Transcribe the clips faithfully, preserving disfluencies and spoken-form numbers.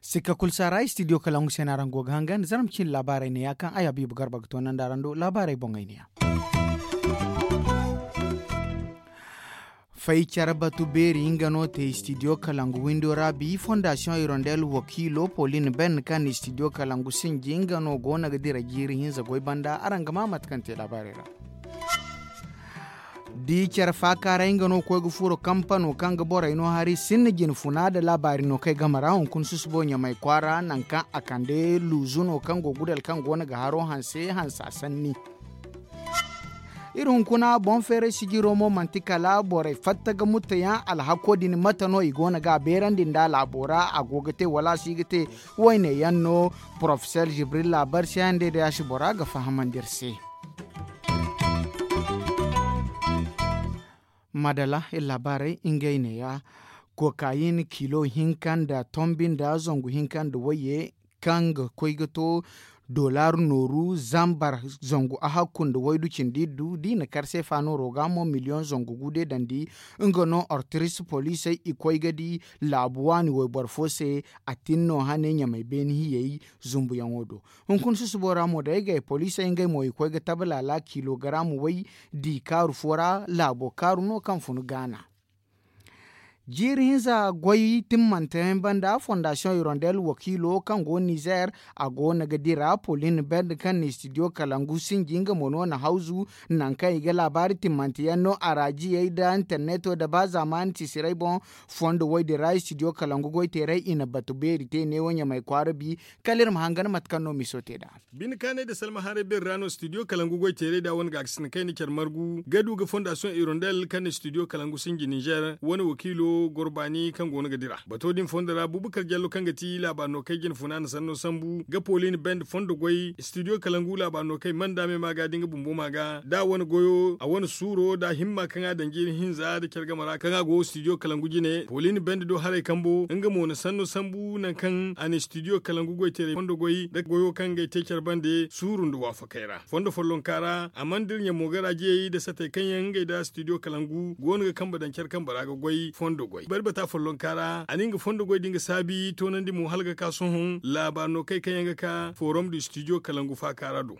Sikka kulu saara istidiyo kalangu se no araŋ go ga hangan zarma cindi laabaarey ne ya kaŋ ay habiibu garba ga toonandi araŋ do laabaarey boŋey ne ya. Fay care batu beeri nga no te istidiyo kalangu windo ra bi fondasiyoŋ irondel wakiilo polin ben kaŋ istidiyo kalangu sinji nga no go no ga dira jiiri hinza goy banda araŋ ga ma mate kaŋ te laabaarey ra. Da i care faakaaray nga no koy ga furo kampano kaŋ ga borey no hari sinda jinfuna nda laabaari no kay game ra hunkuna susubo ɲamay kwaara nangu kaŋ a kande luuzu no kaŋ go gudal kaŋ go no ga haro hanse hansa sanni. Iri hunkuna boŋ feeray sijiro mo manti kala borey fatta ga mutayaŋ alhako din mate no i go no ga a beerandi nda laabo ra a go ga te wala a si ga te. Wayne yaŋ no porofesor jibril laabar se yaŋ day day a si bora ga fahamandi iri se. Madala iri laabaarey ngey neeya. Kokayin kilo hinka nda tombi nda zangu hinka nda wayye kaŋ ga koy ga to dollar nooru zambar zangu ahakku nda waydu cindi iddu da i na kar seefa nooro ga mo miliyoŋ zangu gu deedandi. Nga no ortiris poliisey i koy ga di laabu waani wayboro fo se. A tin no hane ɲamay beeni hiyey zumbuyaŋo do. Hunkuna susubo ra mo day gay poliisey ngey mo i koy ga tabe laala kilogaram way di kaaru fo ra laabo kaaru no kaŋ fun gaana. Jiiri hinza goy timmante yaŋ banda fondasiyoŋ hirondel wakiilo kaŋ go nizer a go no ga dira polin bend kaŋ na istidiyo kalangu sinji nga mo no na hawzu. Nangu kaŋ i ga laabaari timmante yaŋ no araajiyey nda interneto nda ba zaamaani tisiray boŋ. Fondo woy din ra istidiyo kalangu goy teeray i na batu beeri te neewo ɲamay kwaara bi. Kala iri ma hangan mate kaŋ no miso te nd'a. Bine kaanay nda salma haray beeri ra no studio kalangu goy teeray da wane gaakasinda kayna care margu ga du ga fondasiyoŋ hirondel kaŋ na studio kalangu sinji nizer wane wakiilo goro baani kaŋ go no ga dira bato din fondo ra bubakar jallo kaŋ ga ti laabaari no kay jine funa na sanno sambu ga polin bend fondo goy studio kalangu laabaari no kay manda me ma ga da nga bumbo ma ga da wane goyo a wane suuro da himma kaŋ a daŋ jiiri hinza da care game ra kaŋ a go studio kalangu jine polin bend do haray kambo nga mo na sanno sambu nangu kaŋ a na studio kalangu goy teeray fondo goy da goyo kaŋ ga ay te care bande suuru nda waafakey ra fondo follonka ra a mana dira ɲamo ga raajiyey nda satey kaŋ yaŋ ngey nda studio kalangu go no ga kambe daŋ care kambe ra ga goy fondo goy bari bata follonka ra a na nga fondo goy din ga saabi toonandi mo hala ga ka sohõ laabaari no kay kaŋ yaŋ ga ka forom du studio kalangu faaka ra do.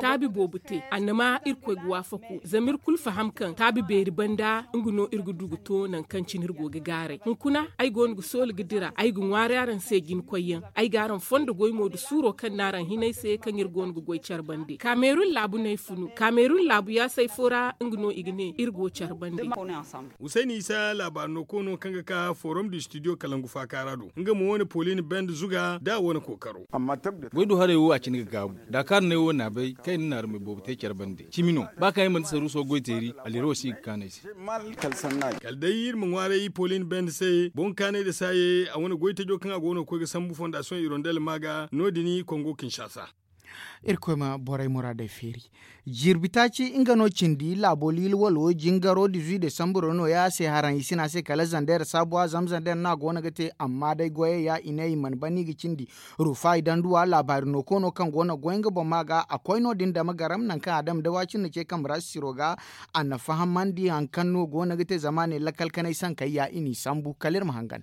Taabi boobo te annama irkoy ga waafaku zama iri kulu faham kaŋ taabi beeri banda nga no iri ga du ga to nangu kaŋ cine iri go ga gaaray hunkuna ay go no ga soola ga dira ay ga ŋwaari araŋ se jina koyyaŋ. Ay ga araŋ fondo goy mo nda suuro kaŋ no araŋ hinay se kaŋ iri go no ga goy care bande kamerun laabu no ay funu kamerun laabu yaasay fo ra nga no i ga ne iri go care bande. Husayni isa laabaari no koono kaŋ ga ka forom du studio kalangu faaka ra do nga mo wane polin bend zuga da wane kookaro. Goy du haray wo a cine ga gaabu da kaara ne wo na bay kaŋ i na naarumey boobo te care bande cimi no ba kaŋ ay manti saruuso goy teeri. Aliro si ga kaanay se. Kala day iri ma ŋwaaray polin bend se boŋ kaanay nda saaye a wane goy tajo kaŋ a go no ga koy ga sambu fondasiyoŋ hirondel ma ga no- din kongo kinshasa. Irkoy ma borey muraadey feeri. Jirbi taaci nga no cindi laabo liili walo jingaro dizuy desamburo no- ya se haraŋ i sina se kala zander saabuwa zama zander no a go no ga te amma day goyey ya i ne i mana ban no i ga cindi. Rufa i danduwa laabaari no koono kaŋ go no ga goy nga boŋ ma ga a koy no- din dama garam nangu kaŋ a dama day waacin na ce kambe ra sisiro ga. A na fahamandi hari kaŋ no go no ga te zama a ne lakkal kanay sankey ya i n'i sambu kala iri ma hangan.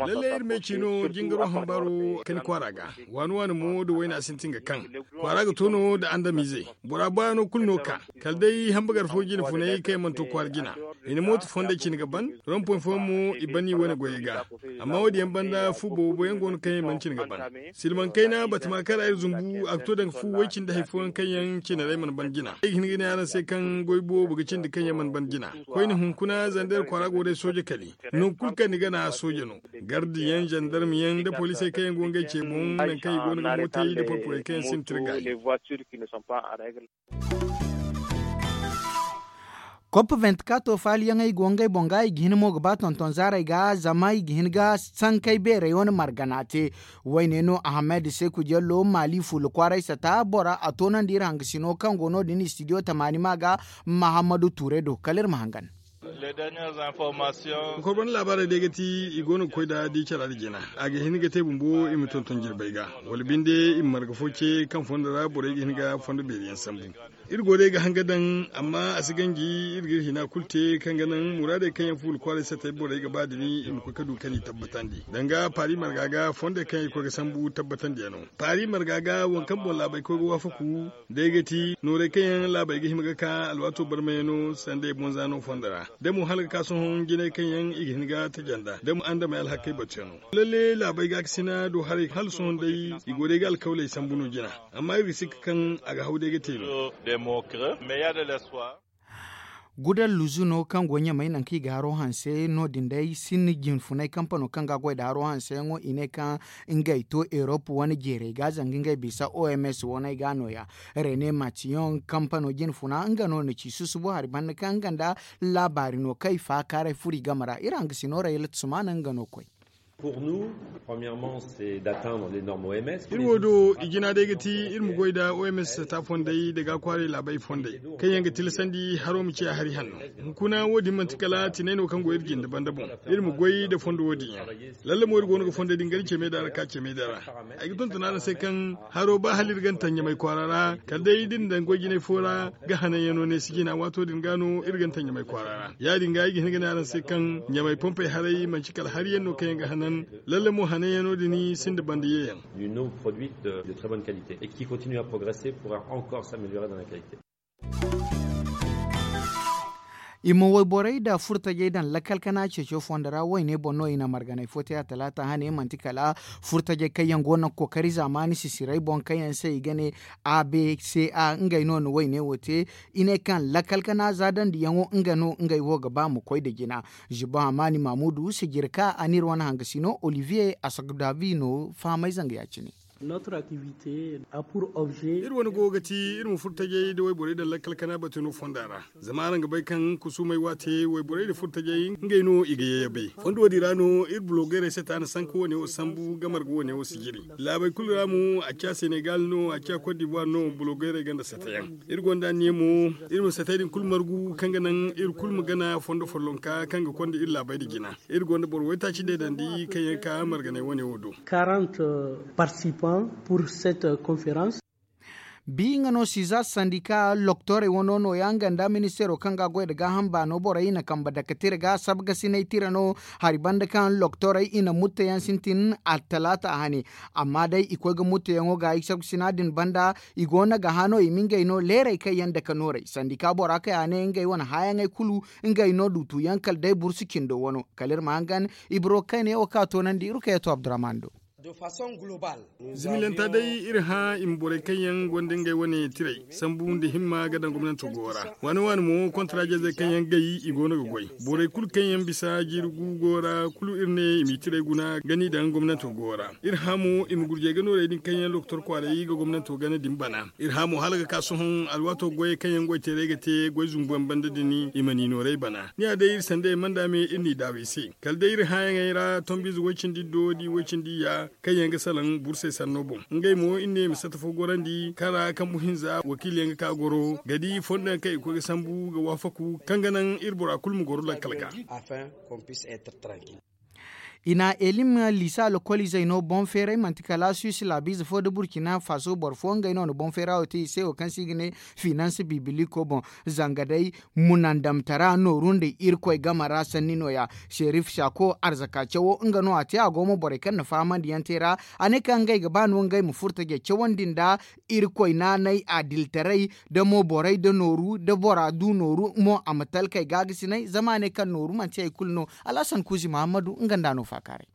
Lallay iri me ciino jingaro hambaro kani kwaara ga waani waani mo nda wayna sintin ga kaŋ kwaara ga to no nda andamize. Bora baayaŋo kulu no ka kala day hambagar fo jine funay kaŋ yaŋ mana to kwaara jina. I na mooto fondey cine ga ban rompoy fooyaŋ mo i ban i wane goyey ga. Amma wo- din yaŋ banda fu boobo yaŋ go no kaŋ yaŋ mana cine ga ban. Silmaŋ kayna batama kaŋ ra iri zumbu a ga to daŋ fu way cindi hari fooyaŋ kaŋ yaŋ cine ra ay mana ban jina ay ga hin ga ne araŋ se kaŋ goy boobo ga cindi kaŋ yaŋ mana ban jina. Koyne hunkuna zander kwaara go day sooje kali. Nangu kulu kaŋ ni gana sooje no. Gardiyaŋ zandarmiyaŋ nda poliisey kaŋ yaŋ go ngey ce boŋ nangu kaŋ i go no ga mootey nda porporey kaŋ yaŋ sintin ga i. Kop venti kato faaliyaŋey go ngey boŋ ga i ga hin mo ga ba tonton zaarey ga zama i ga hin ga sankey beerey wane margana te. Wayne no ahamed seku jello maali fuula kwaaray sata bora a toonandi iri hangasino kaŋ go no- din istidiyo tamaani ma ga mahammadu tuure do kala iri ma hangan. Kokorban laabaarey day ga ti i go no ga koy da di cara da jina. A ga hin ga te bumbo i ma tonton jirbey ga, wala binde i ma marga fo ce kaŋ fondo ra borey ga hin ga fondo beeri yaŋ sambu. Iri go day ga hanga daŋ, amma a si ganji iri ga iri hina kulu te kaŋ ga naŋ muraadey kaŋ yaŋ fuula kwaaray satey borey ga ba da ni i ma koy ga du ka ni tabbatandi danga paari marga ga fondey kaŋ yaŋ i koy ga sambu tabbatandi yaŋ no. Paari marga ga waŋ kaŋ boŋ laabey koy ga waafaku, day ga ti noorey kaŋ yaŋ laabey ga hima ga ka alwaato barmayaŋ no sanda i boŋ zaano fondo ra da mo hala ga ka sohõ jinay kaŋ yaŋ i ga hin ga taja nd'a da mo andamey alhakkey batuyaŋ no. Lalle laabey gaakasina do haray hala sohõ day i go day ga alkawley sambu no jina. Amma iri ga sikka kaŋ a ga haw day ga te no. Gudal luzuno kaŋ go ɲamay nangu kaŋ i ga haro hanse no- din day sinda jinfunay kampano kaŋ ga a goy nda haro hanseyaŋo i ne kaŋ ngey to erop wane jeerey ga zanga ngey bisa oms waney ga nooya. Rene matiyoŋ kampano jinfuna nga no na ci susubo hari banda kaŋ nga nda laabaari no kaŋ i faakaaray furo i game ra iri hangasino rayla tusumana nga no koy. Iri wo do i jina day ga ti iri ma goy nda oms sata fondey nda ga kwaaray laabey fondey kaŋ yaŋ ga tilasandi haro ma ciya hari hanno. Hunkuna wo- din manti kala tinay no kaŋ go iri jinde banda boŋ. Iri ma goy nda fondo wo- din yaŋ. Lalle mo iri go no ga fondey din gari cemey da ra ka cemey da ra. Ay ga tonton araŋ se kaŋ haro ba hala iri gana taŋ ɲamay kwaara ra kala day da iri na daŋ goy jinay fo ra ga hananyaŋo ne si jina waato din ga no iri gana taŋ ɲamay kwaara ra. Ya- din ga ay ga hin ga ne araŋ se kaŋ ɲamay pompey haray manti kala hari yaŋ no kaŋ yaŋ ga hanan. Lalle mo hananyaŋo din sinda banda ye yaŋ. I ma wayborey nda furtajey daŋ lakkal kana ceeco fondo ra wayne boŋ no i na marganay fo te a talaata hane manti kala furtajey kaŋ yaŋ go no ga kookari zaamaani sisirey boŋ kaŋ yaŋ se i ga ne a b c a ngey no na wayne wo te. I ne kaŋ lakkal kana zaadandiyaŋo nga no ngey wo ga ba ma koy nda jina. Zibo hamaani maamudu sijirka a n'iri wane hangasino olivier asogdavi no fahamay zanga ya- cine. Iri wane go ga ti iri ma furtajey nda wayborey daŋ lakkal kana batu no fonda ra. Zama araŋ ga bay kaŋ kusumey waate wayborey nda furtajey ngey no i ga yayabay fondo wo- din ra no iri bulogeerey se ta na sanka wane wo sambu ga marga wane wo sijiri. Laabey kulu ra mo a ciya senegal no a ciya kot dibuwar no bulogeerey gonda satayaŋ. Iri gonda anniya mo iri ma satay din kulu margu kaŋ ga naŋ iri kulu ma gana fondo follonka kaŋ ga konda iri laabey nda jina. Iri gonda boro waytaaci deedandi kaŋ yaŋ ka marganay wane wo do. Quarante participants pour cette conférence. Bi nga no siza sandika loktorey wano nooya nga nda ministeero kaŋ ga a goy nda gaaham baano borey i na kambe dake tira ga sabgasinay tira no. Hari banda kaŋ loktorey i na mutteyaŋ sintin attalaata hane. Amma day i koy ga mutteyaŋo gaayi sabgasina din banda i go no ga hã no i ma ngey no leerey kaŋ yaŋ dake noorey sandika bora kaŋ a ne ngey wane hãyaŋey kulu ngey no duutuyaŋ kala day bursu cindo wano. Kala iri ma hangan ibro kayna yaŋ wo kaŋ a toonandi iri kaŋ yaŋ to abdurrahman do. Zimilanta day iri hã i ma borey kaŋ yaŋ gonda ngey wane tirey sambu nda himma ga daŋ gomnanto go ra. Waani waani mo kontaraajeezey kaŋ yaŋ gay i go no ga goy. Borey kulu kaŋ yaŋ bisa jiiri gu go ra kulu iri ne i m'i tirey guna ga n'i daŋ gomnanto go ra. Iri hã mo i ma gurjey ga noorey din kaŋ yaŋ lokotor kwaaray ga gomnanto gana din bana. Iri hã mo hala ga ka sohõ alwaato goyey kaŋ yaŋ goy teeray ga te goy zumbu yaŋ banda din i ma n'i noorey bana. Ni ya day iri sanda yaŋ manda me iri n'i daaw i se. Kala day iri hãyaŋey ra tombiize woy-cindi-iddo da i woy-cindi-iyya kaŋ yaŋ ga salaŋ bursey sanno boŋ. Ngey mo iri ne i ma satta fo gorandi kaŋ ra kambu hinza wakiiliyaŋ ga ka goro ga di fondo yaŋ kaŋ i koy ga sambu ga waafaku kaŋ ga naŋ iri bora kulu ma goro lakkal ga. I na elim liisa lokoliizey no boŋ feeray manti kala suwis laabiize fo nda burkina faso boro fo ngey no na boŋ feera wo te i se wo kaŋ se i ga ne finans bibiliko boŋ. Zanga day munandamtara nooru nda irkoy game ra sanni nooya. Serif sako arzaka cawo nga no a te a go ma borey kaŋ na fahamandiyaŋ te ra. A ne kaŋ ngey ga ba no ngey ma furo tajey cawandi nda irkoy naanay adiltaray da mo borey da nooru da bora du nooru mo a ma talkey gaagasinay zama a ne kaŋ nooru manti hari kulu no. Alhasan kuuzi mahammadu nga nd'a no faakaaray.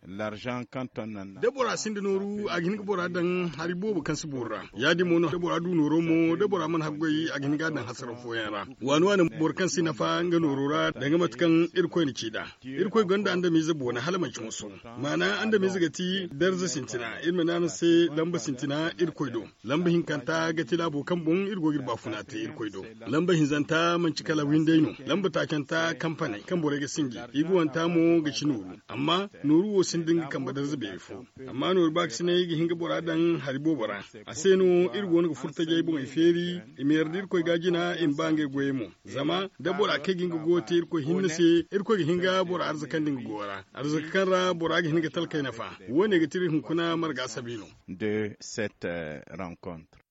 Da bora sinda nooru a ga hin ga bora daŋ hari boobo kaŋ si boori ra. Ya- din mo no da bora du nooro mo da bora mana haggoy a ga hin ga a daŋ hasaraw fooyaŋ ra. Waani waani boro kaŋ si nafa nga nooro ra danga mate kaŋ irkoy na ci nd'a. Irkoy gonda andamiize boona hala manci moso. Maana andamiize ga ti darza sintina iri ma ne araŋ se lamba sintina irkoy do. Lamba hinkanta ga ti laabo kaŋ boŋ iri go ga iri baafuna te irkoy do. Lamba hinzanta manci kala windey no. Lamba taacanta kampaney kaŋ borey ga sinji. Iguwanta mo ga ci nooru. Amma Nooru wo sinda nga kambe darza beeri fo. Amma nooru baakasinay i ga hin ga bora daŋ hari boobo ra. A se no iri go no ga furo tajey boŋey feeri. I ma yarda irkoy ga jina i ma ba ngey goyey mo. Zama da bora kay ga nga goyo te irkoy hinne se, irkoy ga hin ga bora arzakandi nga goyo ra, arzaka kaŋ ra bora ga hin ga talkey nafa. Wo- ne ga ti iri hunkuna marga sabi no. De cette rencontre.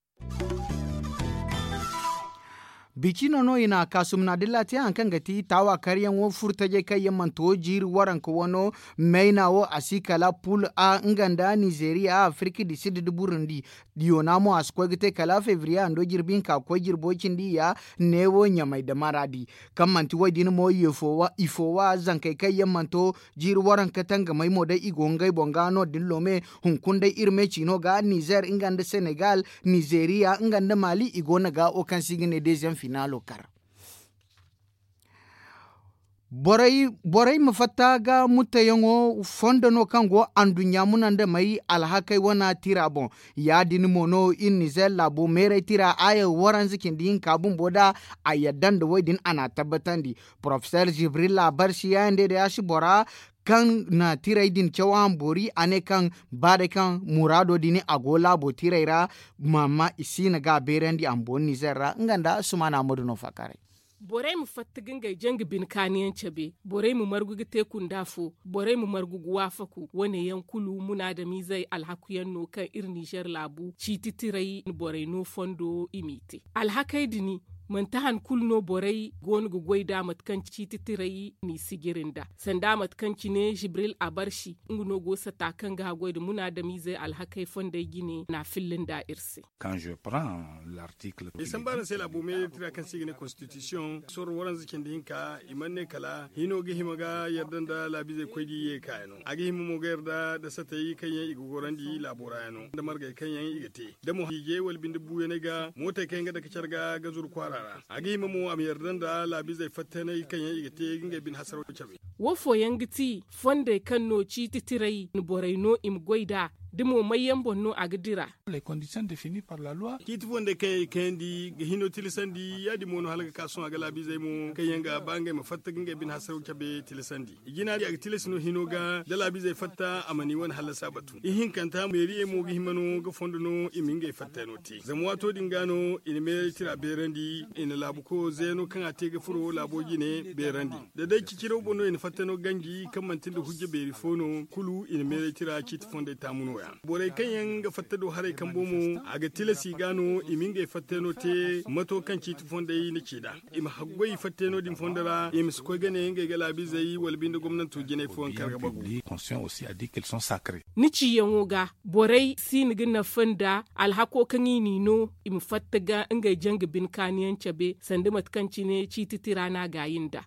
Bicino no i na kaasumna dilla te hari kaŋ ga ti taawa karyaŋo furo tajey kaŋ yaŋ mana to jiiri waranka wano. Mayna wo a si kala pul a nga nda nizeriya afirki di sid da burundi. Yona mo a si koy ga te kala febriye hando jirbi hinka ga koy jirbo cindi ya. Neewo ɲamay da maradi kaŋ manti wo- din mo i foowa zankey kaŋ yaŋ mana to jiiri waranka tangamey mo day i go ngey boŋ ga no- din loome. Hunkuna day iri me ciino ga nizer nga nda senegal, nizeriya nga nda mali i go no ga wo kaŋ se i ga ne deziyaŋ finaalo kar. Borey ma fatta ga mutayaŋo fondo no kaŋ go anduɲɲa muna nda may alhakey wana tira boŋ. Ya- din mo no iri nizer laabo meeray tira aya waranza cindi hinka bumbo da a yadda nda wo- din a na a tabbatandi. Porofesor jibril labar si yaŋ day day a si bora kaŋ na tirey din caw a ma boori a ne kaŋ ba day kaŋ muraado din a go laabo tirey ra. Maama i si na ga a beerandi a ma boori nizer ra nga nda sumaana ma du no faakaaray. Borey ma fatta ga ngey janga bine kaaniyaŋ cabe. Borey ma margu ga te kunda fo. Borey ma margu ga waafaku wane yaŋ kulu munaadamiizey alhaku yaŋ no kaŋ iri nizer laabu ciiti tirey borey no fondo i m'i te. Alhakey din manti han kulu no borey go no ga goy nd'a mate kaŋ ciiti tirey n'i sijiri nd'a sanda mate kaŋ cine jibril abarsi nga no go sata kaŋ ga haggoy nda munaadamiizey alhakey fondey jine n'a filla nd'a iri se. Ay samba araŋ se laabo meeray tira kaŋ se i ga ne konstitisiyoŋ sorro waranza cindi hinka i mana ne kala hino ga hima ga yarda nda laabiizey koy da i ye ga kaayaŋo a ga hima mo ga yarda nda satey kaŋ yaŋ i ga gorandi laabo ra yaŋo nda margey kaŋ yaŋ i ga te da mo hiijey wala binde buuyaney ga mootey kaŋ yaŋ ga dake care ga ga zuru kwaara ra. A ga hima mo a ma yarda nda laabiizey fattaney kaŋ yaŋ i ga te ga ngey bine hasaraw cabe. Wo fooyaŋ ga ti fondey kaŋ no ciiti tirey borey no i ma goy nd'a da mo may yaŋ boŋ no a ga dira. Ciiti fondey kaŋ yaŋ i kayandi ga hino tilasandi ya- din mo no hala ga ka sohõ a ga laabiizey mo kaŋ yaŋ ga ba ngey ma fatta ga ngey bine hasaraw cabe tilasandi. I jina di a ga tilasi no hino ga da laabiizey fatta a mana i wane hallasa batu ihinkanta meeriyey mo ga hima no ga fondo no i ma ngey fattayno te zama waato din ga no i na meeray tira beerandi i na laabuko zeeno kaŋ a te ga furo laabo jine beerandi. Da day ciciraw boŋ no i na fattayno ganji kaŋ manti nda hujja beeri fo no kulu i na meeray tira ciiti fondey taamu nooya. Borey kaŋ yaŋ ga fatta do haray kambo mo a ga tilas i ga no i ma ngey fattayno te mato kaŋ ciiti fondey na ci nd'a i ma haggoy fattayno din fondo ra i ma si koy ga ne ngey ga laabiizey wala binde gomnanto jinay fooyaŋ kar ga bagu. Ni ciyaŋo ga borey si ni ga nafa nda alhako kaŋ i n'i no i ma fatta ga ngey janga bine kaaniyaŋ cabe sanda mate kaŋ cine ciiti tira no a gaayi nd'a.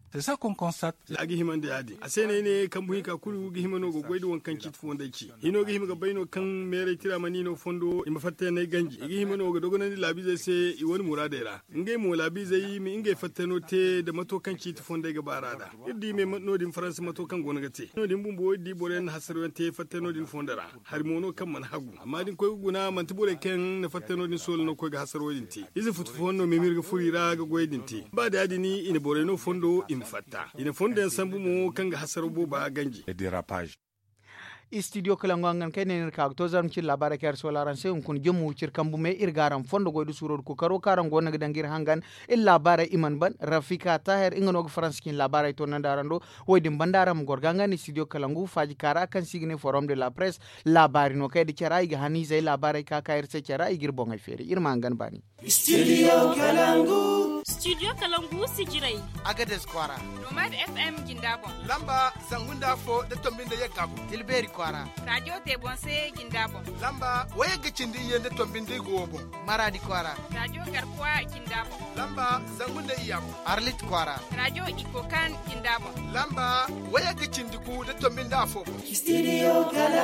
A ga hima nda ya- din a se no ay ne kambu hinka kulu ga hima no ga goy nda waŋ kaŋ ciiti fondey ci hino ga hima ga bay no kaŋ meeray tira mana i no fondo i ma fattayno ganji i ga hima no ga dogonandi laabiizey se i wane muraadey ra. Ngey mo laabiizey ma ngey fattayno te nda mato kaŋ ciiti fondey ga baar'a nd'a. Iri di me no- din faransa mato kaŋ go no ga te no- din bumbo iri di boro yaŋ na hasaraw yaŋ te fattayno din fondo ra. Hari mo no kaŋ mana hagu amma da ni koy ga guna manti borey kaŋ na fattayno din soola no ga koy ga hasaraw din te. Ize futu fooyaŋ no mimir ga furo i ra ga goyey din te ba da ya- din i na borey no fondo i ma fatta i na fondo yaŋ sambu mo kaŋ ga hasaraw booba ganji. Istidiyo kalangu hangan kaŋ ay ne no iri ka ga to zarma cine laabaarey kaŋ iri soola araŋ se hunkuna jomma wiciri kambu me iri ga araŋ fondo goy da suuro da kookaro kaŋ araŋ go no ga daŋ ga iri hangan. Iri laabaarey i mana ban rafika taahir nga no ga faransa cine laabaarey toonandi araŋ do. Wo- din banda araŋ ma goro ga nga nda istidiyo kalangu faaji kaara kaŋ se i ga ne forom de la press. Laabaari no kaŋ ay da care ra i ga haniizey laabaarey ka ka iri se care ra i ga iri boŋey feeri iri ma hangan baani. Studio kalangu. Studio kalangu sijirey. Agades kwaara. Nomad fm jinda boŋ. Lamba zangu nda afo da tombi nda yagga boŋ. Tilbeeri kwaara. Radio tebonse jinda boŋ. Lamba wayagga cindi iyye nda tombi nda igo wo boŋ. Maradi kwaara. Radio garkuwa jinda boŋ. Lamba zangu nda iyya boŋ. Arlit kwaara. Radio ikokan jinda boŋ. Lamba wayagga cindi gu nda tombi nda afo boŋ. Studio kalangu.